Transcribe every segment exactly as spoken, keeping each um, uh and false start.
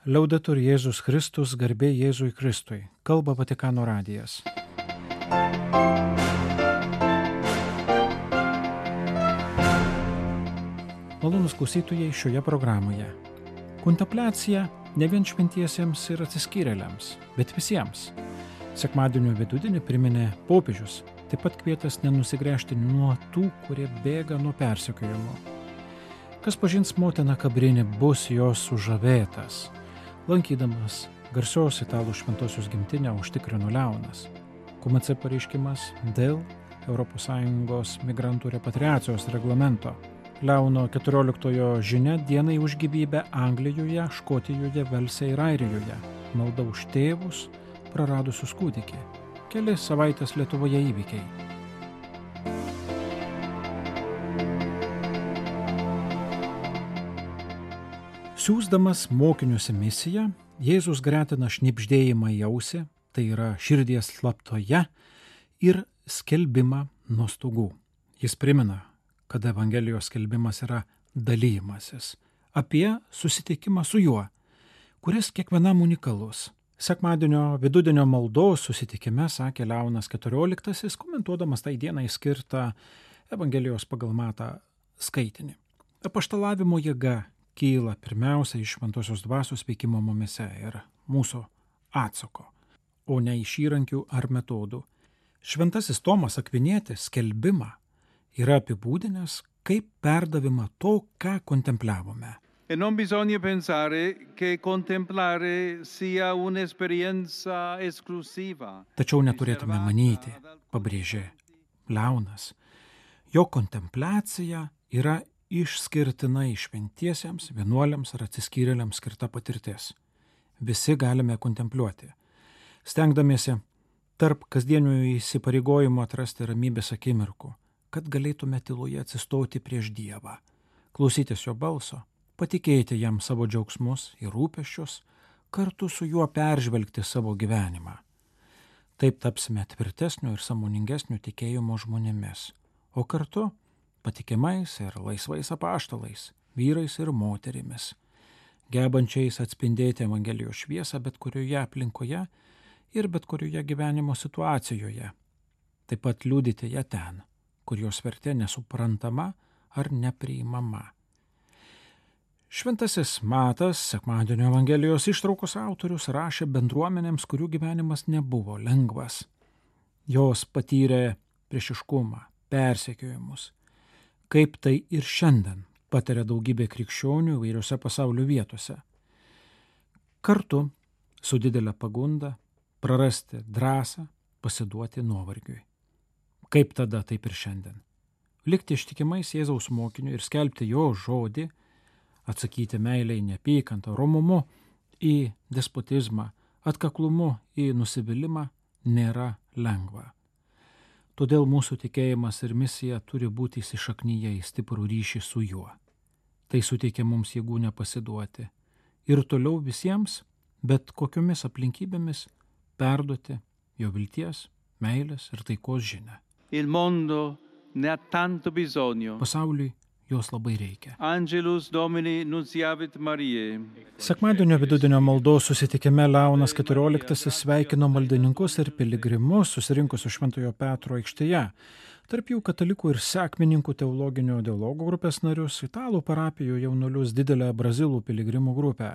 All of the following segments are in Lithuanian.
Liaudetur Jėzus Kristus, garbė Jėzui Kristui. Kalba Vatikano radijas. Malonūs klausytojai šioje programoje. Kontempliacija ne vien šventiesiems ir atsiskyrėliams, bet visiems. Sekmadienio vidudienį priminė popiežius, taip pat kvietęs nenusigręžti nuo tų, kurie bėga nuo persekiojimo. Kas pažins motiną Kabrinį, bus jos sužavėtas. Lankydamas garsios italų šventosios gimtinę užtikrino Leonas. Q M C pareiškimas dėl Europos Sąjungos migrantų repatriacijos reglamento. Leono keturioliktojo žinia dienai už gyvybę Anglijoje, Škotijoje, Velse ir Airijoje. Malda už tėvus, praradusius kūdikį. Keli savaitės Lietuvoje įvykiai. Siųsdamas mokinius į misiją, Jėzus gretina šnibždėjimą į ausį, tai yra širdies slaptoje, ir skelbimą nuo stogų. Jis primena, kad Evangelijos skelbimas yra dalymasis, apie susitikimą su juo, kuris kiekvienam unikalus. Sekmadienio vidudienio maldos susitikime sakė Leonas keturioliktasis, komentuodamas tai dienai skirtą Evangelijos pagal Matą skaitinį. Apaštalavimo jėga kyla pirmiausia iš šventosios dvasios veikimo mumyse ir mūsų atsako, o ne iš įrankių ar metodų. Šventasis Tomas Akvinietis skelbimą yra apibūdinęs kaip perdavimą to, ką kontempliavome. E non bisogna pensare che contemplare sia un'esperienza esclusiva. Tačiau neturėtume manyti, pabrėžė Leonas, jo kontempliacija yra išskirtinai šventiesiems, vienuoliams ar atsiskyrėliams skirta patirtis. Visi galime kontempliuoti, stengdamiesi tarp kasdienių įsipareigojimų atrasti ramybės akimirkų, kad galėtume tyloje atsistoti prieš Dievą, klausytis jo balso, patikėti jam savo džiaugsmus ir rūpesčius, kartu su juo peržvelgti savo gyvenimą. Taip tapsime tvirtesnių ir sąmoningesnių tikėjimo žmonėmis, o kartu patikimais ir laisvais apaštalais, vyrais ir moterimis, gebančiais atspindėti Evangelijos šviesą bet kurioje aplinkoje ir bet kurioje gyvenimo situacijoje, taip pat liudyti ją ten, kur jos vertė nesuprantama ar nepriimama. Šventasis Matas, sekmadienio Evangelijos ištraukos autorius, rašė bendruomenėms, kurių gyvenimas nebuvo lengvas. Jos patyrė priešiškumą, persekiojimus, kaip tai ir šiandien patiria daugybė krikščionių įvairiose pasaulio vietose. Kartu su didelė pagunda prarasti drąsą, pasiduoti nuovargiui. Kaip tada, taip ir šiandien. Likti ištikimais Jėzaus mokiniu ir skelbti jo žodį, atsakyti meilei neapykantą, romumu į despotizmą, atkaklumu į nusivylimą nėra lengva. Todėl mūsų tikėjimas ir misija turi būti įsišaknyje į stiprų ryšį su juo. Tai suteikia mums jėgų nepasiduoti ir toliau visiems, bet kokiomis aplinkybėmis, perduoti jo vilties, meilės ir taikos žinią. Il mondo ne ha tanto bisogno. Pasauliui jos labai reikia. Angelus Domini nunciavit Mariae. Sekmadienio vidudienio maldos susitikime Leonas keturioliktasis sveikino maldininkus ir piligrimus susirinkusius Šventojo Petro aikštėje. Tarp jų katalikų ir sekmininkų teologinio dialogo grupės narius, italų parapijų jaunuolius, didelę brazilų piligrimų grupę.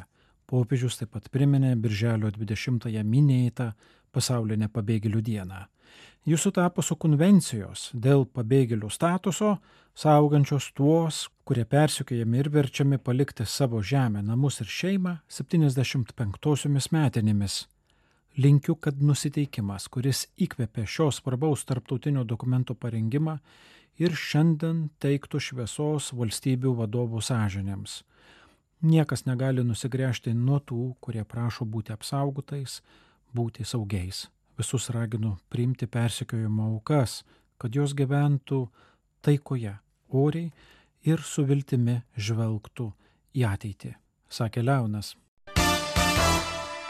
Popiežius taip pat priminė birželio dvidešimtąją minėtą pasaulinę pabėgėlių dieną. Jis sutapo su konvencijos dėl pabėgėlių statuso, saugančios tuos, kurie persekiojami ir verčiami palikti savo žemę, namus ir šeimą septyniasdešimt penktosiomis metinėmis. Linkiu, kad nusiteikimas, kuris įkvėpė šios svarbaus tarptautinio dokumento parengimą, ir šiandien teiktų šviesos valstybių vadovų sąžinėms. Niekas negali nusigręžti nuo tų, kurie prašo būti apsaugotais, būti saugiais. Visus raginu priimti persekiojimo aukas, kad jos gyventų taikoje, oriai ir su viltimi žvelgtų į ateitį, sakė Leonas.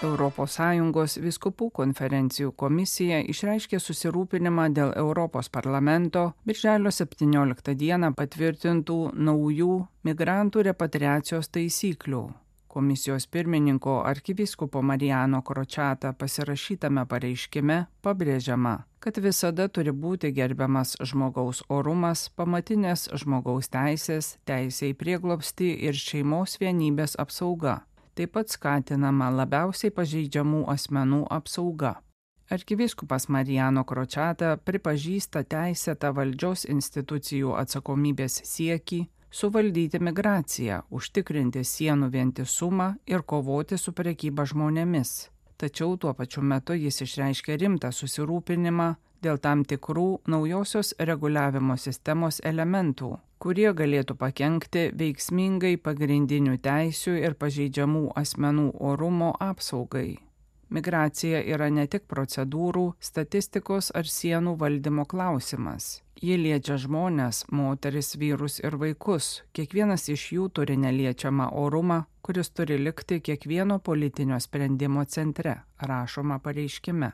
Europos Sąjungos vyskupų konferencijų komisija išreiškė susirūpinimą dėl Europos parlamento birželio septynioliktą dieną patvirtintų naujų migrantų repatriacijos taisyklių. Komisijos pirmininko arkivyskupo Marijano Kročata pasirašytame pareiškime pabrėžiama, kad visada turi būti gerbiamas žmogaus orumas, pamatinės žmogaus teisės, teisė į prieglobstį ir šeimos vienybės apsauga. Taip pat skatinama labiausiai pažeidžiamų asmenų apsauga. Arkivyskupas Marijano Kročata pripažįsta teisėtą valdžios institucijų atsakomybės siekį suvaldyti migraciją, užtikrinti sienų vientisumą ir kovoti su prekyba žmonėmis. Tačiau tuo pačiu metu jis išreiškia rimtą susirūpinimą dėl tam tikrų naujosios reguliavimo sistemos elementų, kurie galėtų pakenkti veiksmingai pagrindinių teisių ir pažeidžiamų asmenų orumo apsaugai. Migracija yra ne tik procedūrų, statistikos ar sienų valdymo klausimas. Ji liečia žmones, moteris, vyrus ir vaikus. Kiekvienas iš jų turi neliečiamą orumą, kuris turi likti kiekvieno politinio sprendimo centre, rašoma pareiškime.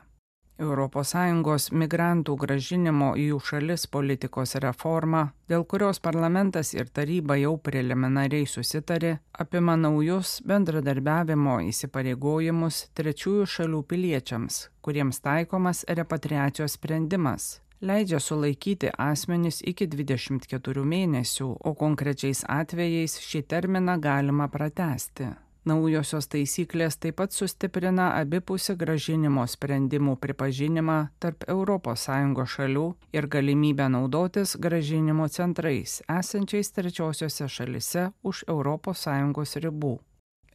Europos Sąjungos migrantų grąžinimo į jų šalis politikos reforma, dėl kurios parlamentas ir taryba jau preliminariai susitarė, apima naujus bendradarbiavimo įsipareigojimus trečiųjų šalių piliečiams, kuriems taikomas repatriacijos sprendimas. Leidžia sulaikyti asmenis iki dvidešimt keturių mėnesių, o konkrečiais atvejais šį terminą galima pratęsti. Naujosios taisyklės taip pat sustiprina abipusį grąžinimo sprendimų pripažinimą tarp Europos Sąjungos šalių ir galimybę naudotis grąžinimo centrais, esančiais trečiosiose šalise už Europos Sąjungos ribų.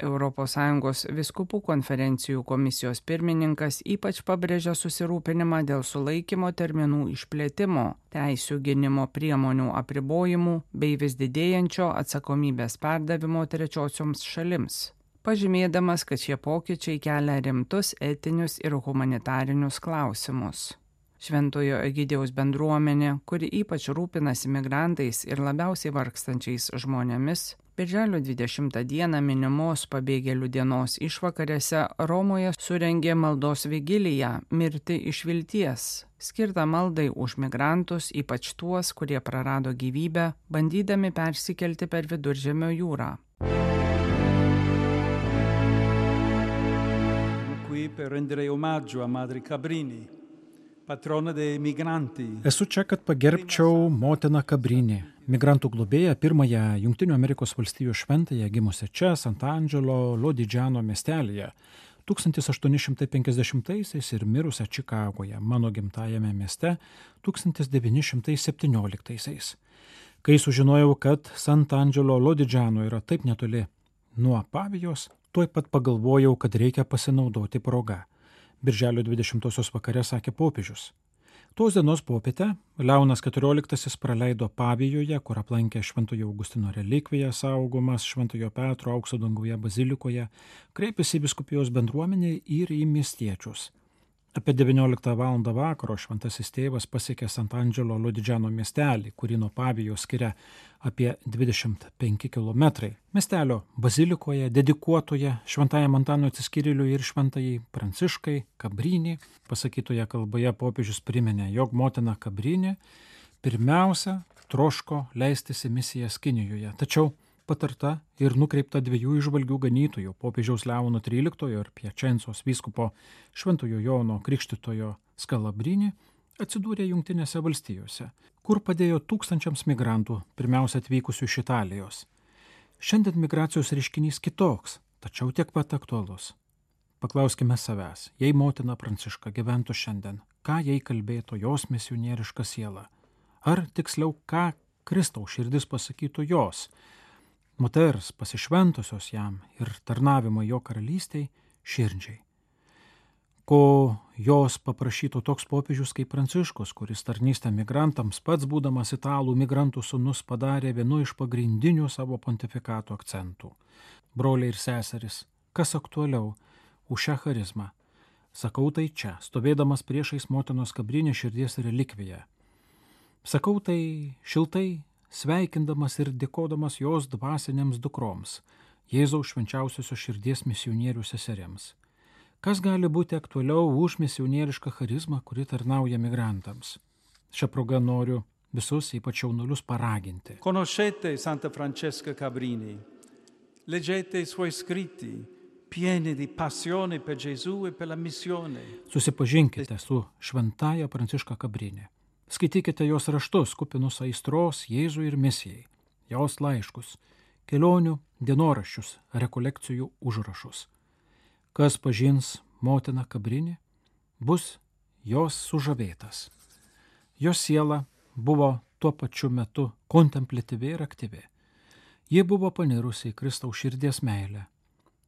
Europos Sąjungos vyskupų konferencijų komisijos pirmininkas ypač pabrėžia susirūpinimą dėl sulaikymo terminų išplėtimo, teisių gynimo priemonių apribojimų bei vis didėjančio atsakomybės perdavimo trečiosioms šalims, pažymėdamas, kad šie pokyčiai kelia rimtus etinius ir humanitarinius klausimus. Šventojo Egidijaus bendruomenė, kuri ypač rūpinasi migrantais ir labiausiai vargstančiais žmonėmis, birželio dvidešimtą dieną minimos pabėgėlių dienos išvakarėse Romoje surengė maldos vigiliją Mirti iš vilties, skirtą maldai už migrantus, ypač tuos, kurie prarado gyvybę, bandydami persikelti per Viduržemio jūrą. Qui per rendere omaggio a Madre Cabrini, patrona dei migranti. Esu čia, kad pagerbčiau motiną Kabrinį, migrantų globėją, pirmąją Jungtinių Amerikos valstijų šventąją gimusią čia, Sant'Angelo Lodigiano miestelyje, tūkstantis aštuoni šimtai penkiasdešimtaisiais ir mirusią Čikagoje, mano gimtajame mieste, tūkstantis devyni šimtai septynioliktaisiais. Kai sužinojau, kad Sant'Angelo Lodigiano yra taip netoli nuo Pavijos, tuoj pat pagalvojau, kad reikia pasinaudoti progą. Birželio dvidešimtosios vakare sakė popiežius. Tos dienos popietę Leonas keturioliktasis praleido Pavijoje, kur aplankė Šventojo Augustino relikviją saugomas Šventojo Petro aukso danguje bazilikoje, kreipėsi į vyskupijos bendruomenę ir į miestiečius. Apie devynioliktą valandą vakaro šventasis tėvas pasiekė Sant'Angelo Lodigiano miestelį, kurį nuo Pavijos skiria apie dvidešimt penki kilometrai. Miestelio bazilikoje, dedikuotoje Šventajam Antanui Atsiskyrėliui ir Šventajai Pranciškai Kabrinį, pasakytoje kalboje popiežius priminė, jog motina Kabrinė pirmiausia troško leistis į misijas Kinijoje, tačiau patarta ir nukreipta dviejų įžvalgių ganytojų, popiežiaus Leono tryliktojo ir Piačencos vyskupo Šventojo Jono Krikštytojo Skalabrini, atsidūrė Jungtinėse valstijose, kur padėjo tūkstančiams migrantų, pirmiausia atvykusių iš Italijos. Šiandien migracijos reiškinys kitoks, tačiau tiek pat aktualus. Paklauskime savęs, jei motina Pranciška gyventų šiandien, ką jai kalbėtų jos misionieriška siela? Ar tiksliau, ką Kristaus širdis pasakytų jos, moters pasišventusios jam ir tarnavimo jo karalystei širdžiai? Ko jos paprašytų toks popiežius kaip Pranciškus, kuris tarnystę migrantams pats būdamas italų migrantų sūnus padarė vienu iš pagrindinių savo pontifikato akcentų. Broliai ir seserys, kas aktualiau už šią charizmą? Sakau tai čia, stovėdamas priešais motinos Kabrinės širdies relikviją. Sakau tai šiltai, sveikindamas ir dėkodamas jos dvasinėms dukroms, Jėzaus švenčiausiosios širdies misionierių seseriams. Kas gali būti aktualiau už misionierišką charizmą, kuri tarnauja migrantams? Šią progą noriu visus, ypač jaunuolius, paraginti. Conoscete Santa Francesca Cabrini, Leggete i suoi scritti, pieni di passione per Gesù e per la missione. Susipažinkite su šventaja Pranciška Kabrinė. Skaitykite jos raštus, kupinus aistros Jėzui ir misijai, jos laiškus, kelionių, dienoraščius, rekolekcijų užrašus. Kas pažins motiną Kabrinį, bus jos sužavėtas. Jos siela buvo tuo pačiu metu kontempliatyvi ir aktyvi. Ji buvo panirusi į Kristaus širdies meilę,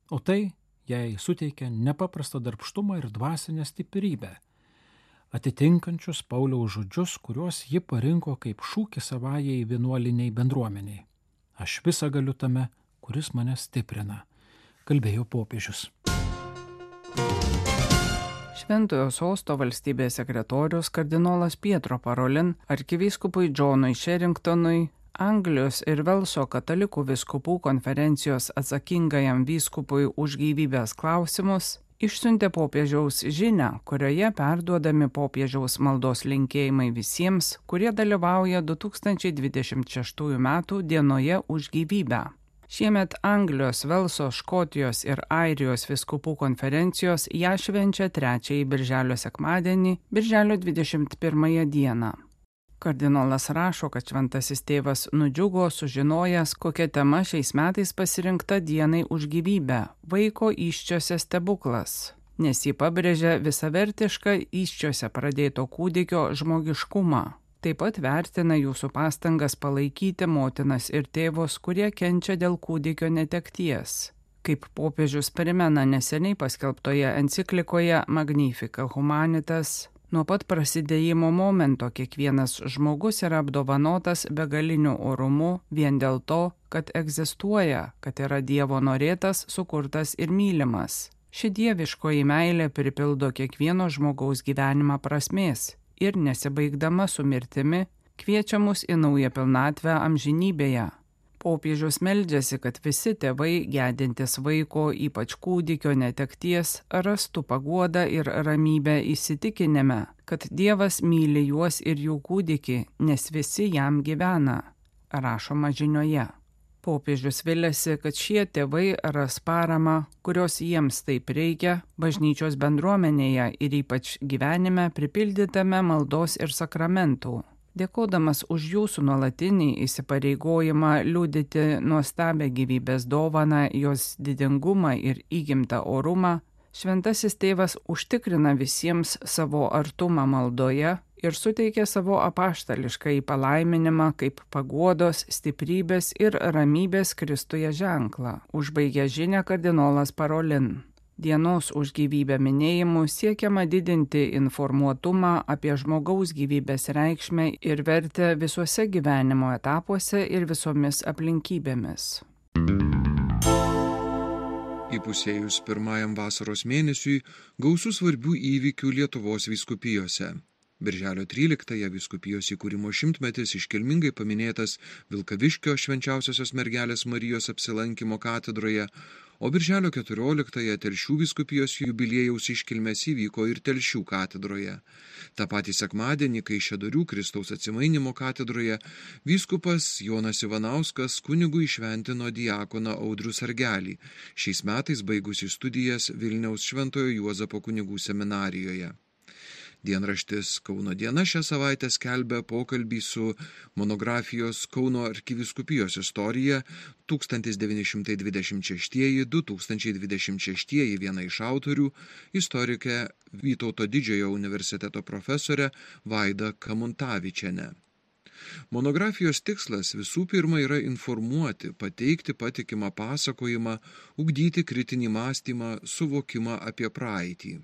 o tai jai suteikė nepaprastą darbštumą ir dvasinę stiprybę, atitinkančius Pauliaus žodžius, kuriuos ji parinko kaip šūkį savajai vienuoliniai bendruomeniai. Aš visą galiu tame, kuris mane stiprina, kalbėjo popiežius. Šventojo sosto valstybės sekretorius kardinolas Pietro Parolin arkivyskupui Džonui Sherringtonui, Anglijos ir Velso katalikų vyskupų konferencijos atsakingajam vyskupui už gyvybės klausimus, išsiuntė popiežiaus žinią, kurioje perduodami popiežiaus maldos linkėjimai visiems, kurie dalyvauja du tūkstančiai dvidešimt šeštųjų metų dienoje už gyvybę. Šiemet Anglijos, Velso, Škotijos ir Airijos vyskupų konferencijos ją švenčia trečiąjį birželio sekmadienį, birželio dvidešimt pirmąją dieną. Kardinolas rašo, kad šventasis tėvas nudžiugo sužinojęs, kokia tema šiais metais pasirinkta dienai už gyvybę – vaiko įsčiose stebuklas, nes jį pabrėžia visavertišką įsčiose pradėto kūdikio žmogiškumą. Taip pat vertina jūsų pastangas palaikyti motinas ir tėvus, kurie kenčia dėl kūdikio netekties. Kaip popiežius primena neseniai paskelbtoje enciklikoje Magnificat Humanitas, nuo pat prasidėjimo momento kiekvienas žmogus yra apdovanotas begaliniu orumu vien dėl to, kad egzistuoja, kad yra Dievo norėtas, sukurtas ir mylimas. Ši dieviškoji meilė pripildo kiekvieno žmogaus gyvenimą prasmės ir nesibaigdama su mirtimi kviečia mus į naują pilnatvę amžinybėje. Popiežius meldžiasi, kad visi tėvai gedintys vaiko, ypač kūdikio netekties, rastų paguodą ir ramybę įsitikinime, kad Dievas myli juos ir jų kūdikį, nes visi jam gyvena, rašoma žinioje. Popiežius viliasi, kad šie tėvai ras paramą, kurios jiems taip reikia, bažnyčios bendruomenėje ir ypač gyvenime pripildytame maldos ir sakramentų. Dėkodamas už jūsų nuolatinį įsipareigojimą liudyti nuostabią gyvybės dovaną, jos didingumą ir įgimtą orumą, šventasis tėvas užtikrina visiems savo artumą maldoje ir suteikia savo apaštališką palaiminimą kaip paguodos, stiprybės ir ramybės Kristuje ženklą, užbaigė žinią kardinolas Parolin. Dienos už gyvybę minėjimu siekiama didinti informuotumą apie žmogaus gyvybės reikšmę ir vertę visuose gyvenimo etapuose ir visomis aplinkybėmis. Įpusėjus pirmajam vasaros mėnesiui gausu svarbių įvykių Lietuvos vyskupijose. Birželio tryliktąją vyskupijos įkūrimo šimtmetis iškilmingai paminėtas Vilkaviškio švenčiausiosios mergelės Marijos apsilankymo katedroje, o birželio keturioliktąją Telšių vyskupijos jubiliejaus iškilmės įvyko ir Telšių katedroje. Ta patį sekmadienį, Kaišiadorių Kristaus atsimainimo katedroje, vyskupas Jonas Ivanauskas kunigui įšventino diakoną Audrių Sargelį, šiais metais baigusi studijas Vilniaus Šventojo Juozapo kunigų seminarijoje. Dienraštis Kauno diena šią savaitę skelbia pokalbį su monografijos Kauno arkivyskupijos istorija tūkstantis devyni šimtai dvidešimt šeštieji - du tūkstančiai dvidešimt šeštieji viena iš autorių, istorikė Vytauto Didžiojo universiteto profesorė Vaida Kamuntavičienė. Monografijos tikslas visų pirma yra informuoti, pateikti patikimą pasakojimą, ugdyti kritinį mąstymą, suvokimą apie praeitį.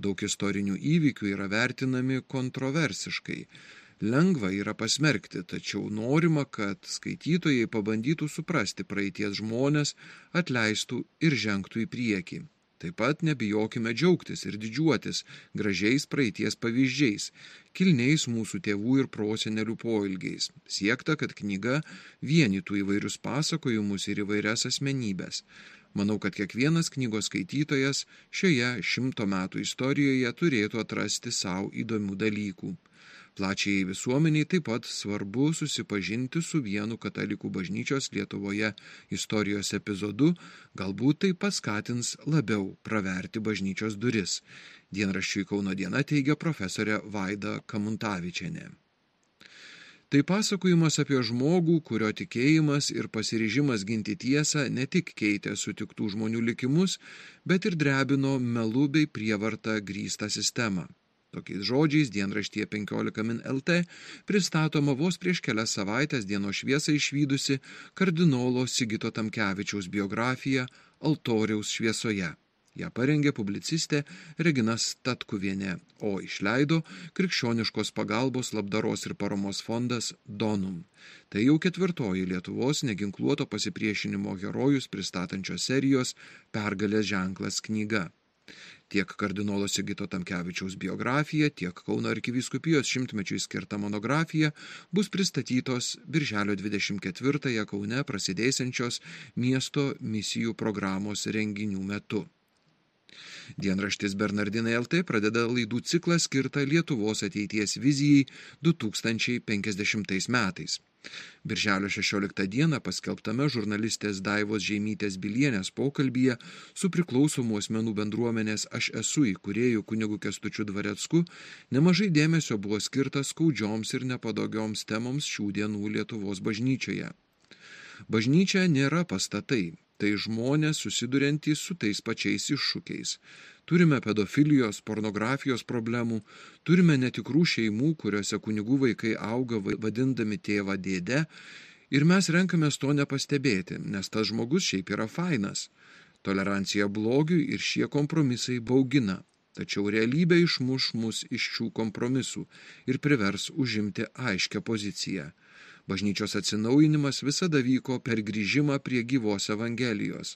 Daug istorinių įvykių yra vertinami kontroversiškai. Lengva yra pasmerkti, tačiau norima, kad skaitytojai pabandytų suprasti praeities žmonės, atleistų ir žengtų į priekį. Taip pat nebijokime džiaugtis ir didžiuotis gražiais praeities pavyzdžiais, kilniais mūsų tėvų ir prosenelių poilgiais. Siekta, kad knyga vienytų įvairius pasakojimus ir įvairias asmenybės. Manau, kad kiekvienas knygos skaitytojas šioje šimto metų istorijoje turėtų atrasti savo įdomių dalykų. Plačiai visuomeniai taip pat svarbu susipažinti su vienu katalikų bažnyčios Lietuvoje istorijos epizodu, galbūt tai paskatins labiau praverti bažnyčios duris. Dienraščiui Kauno diena teigia profesorė Vaida Kamuntavičienė. Tai pasakojimas apie žmogų, kurio tikėjimas ir pasiryžimas ginti tiesą ne tik keitė sutiktų žmonių likimus, bet ir drebino melu bei prievarta grįstą sistemą. Tokiais žodžiais dienraštyje penkiolika min lt pristatoma vos prieš kelias savaitės dienos šviesą išvydusi kardinolo Sigito Tamkevičiaus biografija Altoriaus šviesoje. Ją parengė publicistė Regina Statkuvienė, o išleido Krikščioniškos pagalbos labdaros ir paramos fondas Donum. Tai jau ketvirtoji Lietuvos neginkluoto pasipriešinimo herojus pristatančios serijos Pergalės ženklas knyga. Tiek kardinolo Sigito Tamkevičiaus biografija, tiek Kauno arkivyskupijos šimtmečiui skirta monografija bus pristatytos birželio dvidešimt ketvirtąją Kaune prasidėsiančios miesto misijų programos renginių metu. Dienraštis Bernardinai lt pradeda laidų ciklą skirtą Lietuvos ateities vizijai du tūkstančiai penkiasdešimtais metais. Birželio šešioliktą dieną paskelbtame žurnalistės Daivos Žeimytės Bilienės pokalbyje su priklausomų asmenų bendruomenės Aš esu įkūrėju kunigu Kęstučiu Dvarecku nemažai dėmesio buvo skirta skaudžioms ir nepatogioms temoms šių dienų Lietuvos bažnyčioje. Bažnyčia nėra pastatai, tai žmonės susiduriantys su tais pačiais iššūkiais. Turime pedofilijos, pornografijos problemų, turime netikrų šeimų, kuriuose kunigų vaikai auga vadindami tėvą dėdę, ir mes renkamės to nepastebėti, nes tas žmogus šiaip yra fainas. Tolerancija blogiui ir šie kompromisai baugina, tačiau realybė išmuš mus iš šių kompromisų ir privers užimti aiškią poziciją. Bažnyčios atsinaujinimas visada vyko per grįžimą prie gyvos Evangelijos.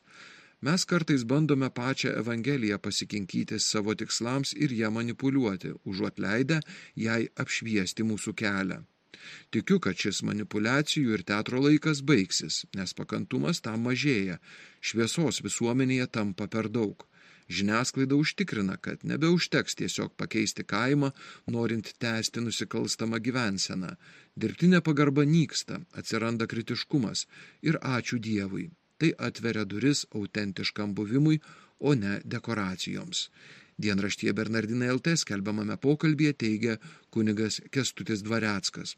Mes kartais bandome pačią Evangeliją pasikinkyti savo tikslams ir ją manipuliuoti, užuot leidę jai apšviesti mūsų kelią. Tikiu, kad šis manipulacijų ir teatro laikas baigsis, nes pakantumas tam mažėja, šviesos visuomenėje tampa per daug. Žiniasklaida užtikrina, kad nebeužteks tiesiog pakeisti kaimą, norint tęsti nusikalstamą gyvenseną. Dirbtinė pagarba nyksta, atsiranda kritiškumas ir ačiū Dievui. Tai atveria duris autentiškam buvimui, o ne dekoracijoms. Dienraštyje Bernardinai lt skelbiamame pokalbyje teigia kunigas Kęstutis Dvareckas.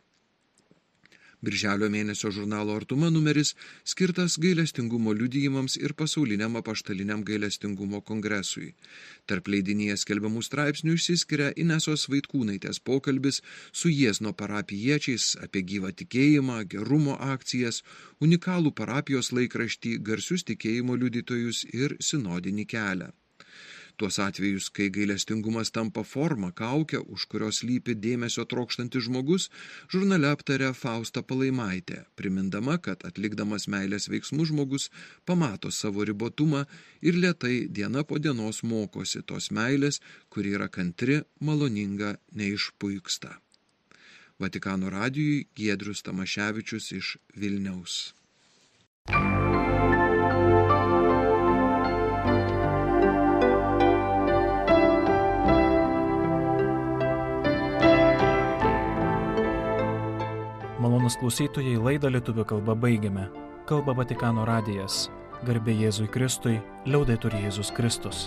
Birželio mėnesio žurnalo Artuma numeris skirtas gailestingumo liudijimams ir pasauliniam apaštaliniam gailestingumo kongresui. Tarp leidinyje skelbiamų straipsnių išsiskiria Inesos Vaitkūnaitės pokalbis su Jiezno parapijiečiais apie gyvą tikėjimą, gerumo akcijas, unikalų parapijos laikraštį, garsius tikėjimo liudytojus ir sinodinį kelią. Tuos atvejus, kai gailestingumas tampa forma, kaukia, už kurios lypi dėmesio trokštantis žmogus, žurnale aptarė Fausta Palaimaitė, primindama, kad atlikdamas meilės veiksmų žmogus pamato savo ribotumą ir lėtai diena po dienos mokosi tos meilės, kuri yra kantri, maloninga, neišpuiksta. Vatikano radijui Giedrius Tamaševičius iš Vilniaus. Malonūs klausytojai, laidą lietuvių kalba baigiame. Kalba Vatikano radijas. Garbė Jėzui Kristui, liaudetur Jėzus Kristus.